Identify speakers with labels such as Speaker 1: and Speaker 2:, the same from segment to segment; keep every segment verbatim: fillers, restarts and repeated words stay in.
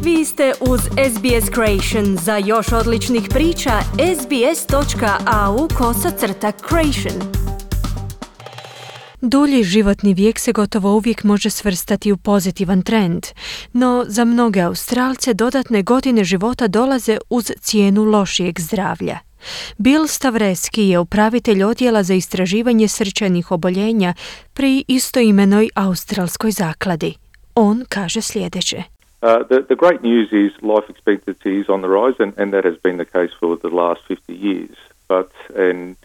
Speaker 1: Vi ste uz S B S Creation. Za još odličnih priča, sbs.au kosacrta creation. Dulji životni vijek se gotovo uvijek može svrstati u pozitivan trend, no za mnoge Australce dodatne godine života dolaze uz cijenu lošijeg zdravlja. Bill Stavreski je upravitelj odjela za istraživanje srčanih oboljenja pri istoimenoj australskoj zakladi. On kaže sljedeće.
Speaker 2: Uh, the, the great news is life expectancy is on the rise, and, and that has been the case for the last fifty years. But and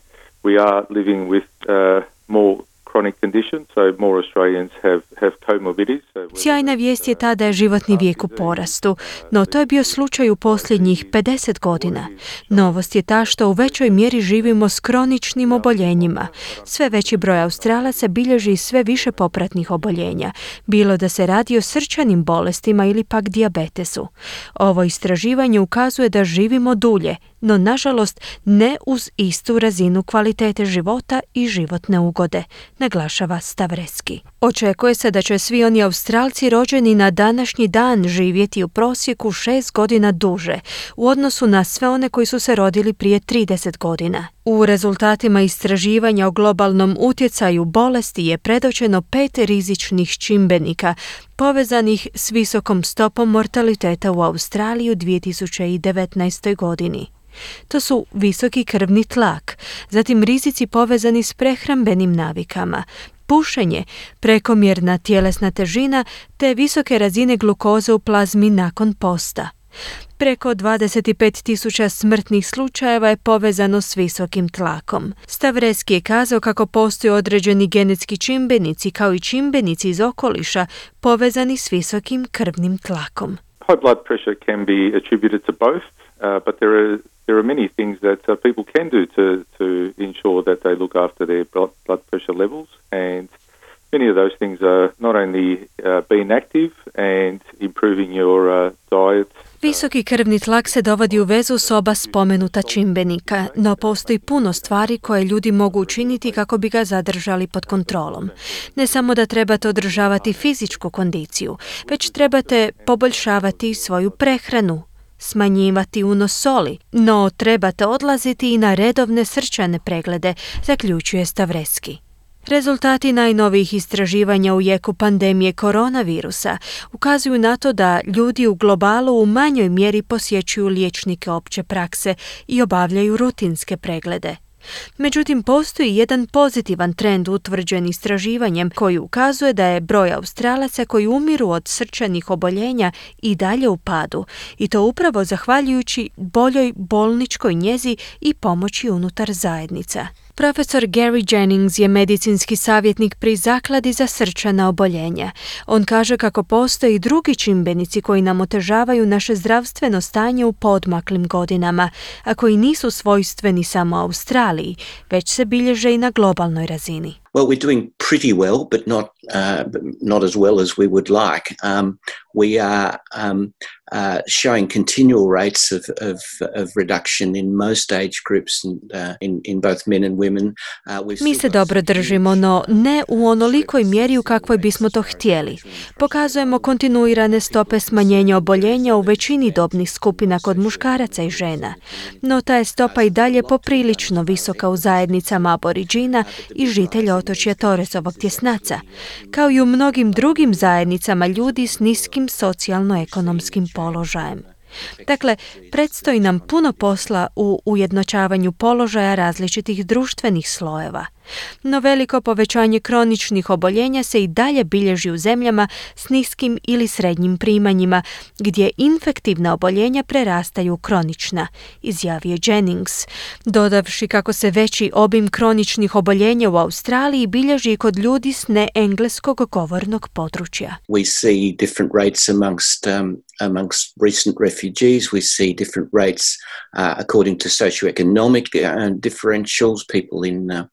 Speaker 2: we are living with uh, more chronic conditions, so more Australians have, have comorbidities. So
Speaker 1: Sjajna vijest je ta da je životni vijek u porastu, no to je bio slučaj u posljednjih pedeset godina. Novost je ta što u većoj mjeri živimo s kroničnim oboljenjima. Sve veći broj Australaca bilježi sve više popratnih oboljenja, bilo da se radi o srčanim bolestima ili pak dijabetesu. Ovo istraživanje ukazuje da živimo dulje, no nažalost ne uz istu razinu kvalitete života i životne ugode, naglašava Stavreski. Očekuje se da će svi oni Australci rođeni na današnji dan živjeti u prosjeku šest godina duže u odnosu na sve one koji su se rodili prije trideset godina. U rezultatima istraživanja o globalnom utjecaju bolesti je predočeno pet rizičnih čimbenika povezanih s visokom stopom mortaliteta u Australiji u dvije tisuće devetnaestoj godini. To su visoki krvni tlak, zatim rizici povezani s prehrambenim navikama, pušenje, prekomjerna tjelesna težina te visoke razine glukoze u plazmi nakon posta. Preko dvadeset pet tisuća smrtnih slučajeva je povezano s visokim tlakom. Stavreski je kazao kako postoje određeni genetski čimbenici kao i čimbenici iz okoliša povezani s visokim krvnim tlakom.
Speaker 2: High blood pressure can be attributed to both, uh, but there are there are many things that uh, people can do to to ensure that they look after their blood, blood pressure levels, and many of those things are not only uh, being active and improving your uh, diet.
Speaker 1: Visoki krvni tlak se dovodi u vezu s oba spomenuta čimbenika, no postoji puno stvari koje ljudi mogu učiniti kako bi ga zadržali pod kontrolom. Ne samo da trebate održavati fizičku kondiciju, već trebate poboljšavati svoju prehranu, smanjivati unos soli, no trebate odlaziti i na redovne srčane preglede, zaključuje Stavreski. Rezultati najnovijih istraživanja u jeku pandemije koronavirusa ukazuju na to da ljudi u globalu u manjoj mjeri posjećuju liječnike opće prakse i obavljaju rutinske preglede. Međutim, postoji jedan pozitivan trend utvrđen istraživanjem koji ukazuje da je broj Australaca koji umiru od srčanih oboljenja i dalje u padu, i to upravo zahvaljujući boljoj bolničkoj njezi i pomoći unutar zajednica. Profesor Gary Jennings je medicinski savjetnik pri Zakladi za srčana oboljenja. On kaže kako postoje i drugi čimbenici koji nam otežavaju naše zdravstveno stanje u poodmaklim godinama, a koji nisu svojstveni samo Australiji, već se bilježe i na globalnoj razini.
Speaker 3: Well, we're doing pretty well, but not uh, not as well as we would like. Um, we are um, uh, showing continual rates of, of, of reduction in most age groups, and, uh, in, in both men and women. Uh,
Speaker 1: Mi se dobro držimo, no ne u onolikoj mjeri u kakvoj bismo to htjeli. Pokazujemo kontinuirane stope smanjenja oboljenja u većini dobnih skupina kod muškaraca i žena, no ta je stopa i dalje poprilično visoka u zajednicama aboriđina i žitelja otočja Torresovog tjesnaca, kao i u mnogim drugim zajednicama ljudi s niskim socijalno-ekonomskim položajem. Dakle, predstoji nam puno posla u ujednačavanju položaja različitih društvenih slojeva. No veliko povećanje kroničnih oboljenja se i dalje bilježi u zemljama s niskim ili srednjim primanjima, gdje infektivna oboljenja prerastaju u kronična, izjavio Jennings, dodavši kako se veći obim kroničnih oboljenja u Australiji bilježi i kod ljudi s neengleskog govornog područja.
Speaker 3: We see different rates amongst um, amongst recent refugees. We see different rates uh, according to socioeconomic uh, differentials. People in uh,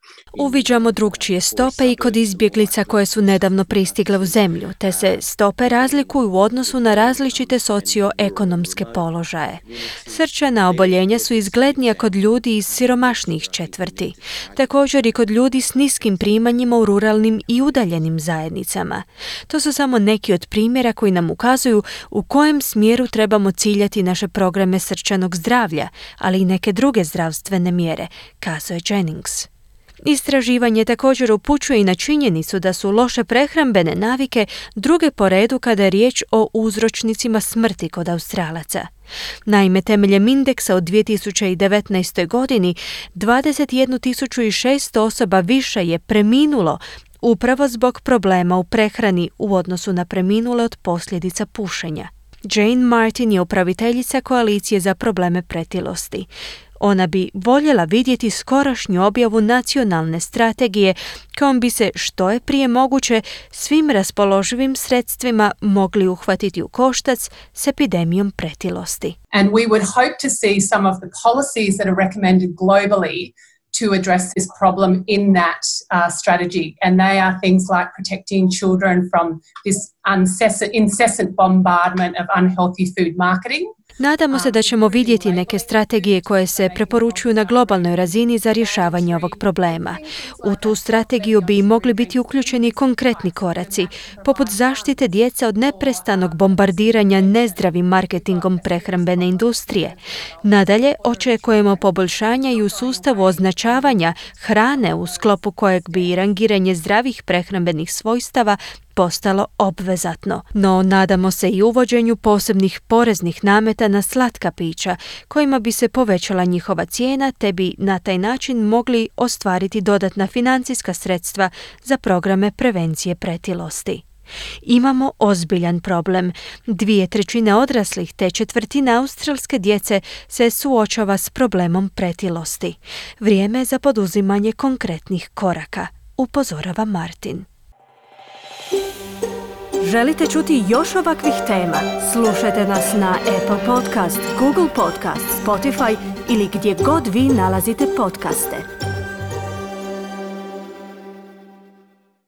Speaker 1: Uviđamo drugčije stope i kod izbjeglica koje su nedavno pristigle u zemlju, te se stope razlikuju u odnosu na različite socioekonomske položaje. Srčana oboljenja su izglednija kod ljudi iz siromašnijih četvrti, također i kod ljudi s niskim primanjima u ruralnim i udaljenim zajednicama. To su samo neki od primjera koji nam ukazuju u kojem smjeru trebamo ciljati naše programe srčanog zdravlja, ali i neke druge zdravstvene mjere, kazao je Jennings. Istraživanje također upućuje i na činjenicu da su loše prehrambene navike druge po redu kada je riječ o uzročnicima smrti kod Australaca. Naime, temeljem indeksa od dvije tisuće devetnaestoj. godini dvadeset jednu tisuću šesto osoba više je preminulo upravo zbog problema u prehrani u odnosu na preminule od posljedica pušenja. Jane Martin je upraviteljica Koalicije za probleme pretilosti. Ona bi voljela vidjeti skorašnju objavu nacionalne strategije kojom bi se što je prije moguće svim raspoloživim sredstvima mogli uhvatiti u koštac s epidemijom pretilosti.
Speaker 4: And we would hope to see some of the policies that are recommended globally to address this problem in that uh, strategy. And they are things like protecting children from this incessant, incessant bombardment of unhealthy food marketing.
Speaker 1: Nadamo se da ćemo vidjeti neke strategije koje se preporučuju na globalnoj razini za rješavanje ovog problema. U tu strategiju bi mogli biti uključeni konkretni koraci, poput zaštite djece od neprestanog bombardiranja nezdravim marketingom prehrambene industrije. Nadalje, očekujemo poboljšanja i u sustavu označavanja hrane u sklopu kojeg bi rangiranje zdravih prehrambenih svojstava postalo obvezatno, no nadamo se i uvođenju posebnih poreznih nameta na slatka pića, kojima bi se povećala njihova cijena, te bi na taj način mogli ostvariti dodatna financijska sredstva za programe prevencije pretilosti. Imamo ozbiljan problem. Dvije trećine odraslih te četvrtina australske djece se suočava s problemom pretilosti. Vrijeme je za poduzimanje konkretnih koraka, upozorava Martin. Želite čuti još ovakvih tema? Slušajte nas na Apple Podcast, Google Podcast, Spotify ili gdje god vi nalazite podcaste.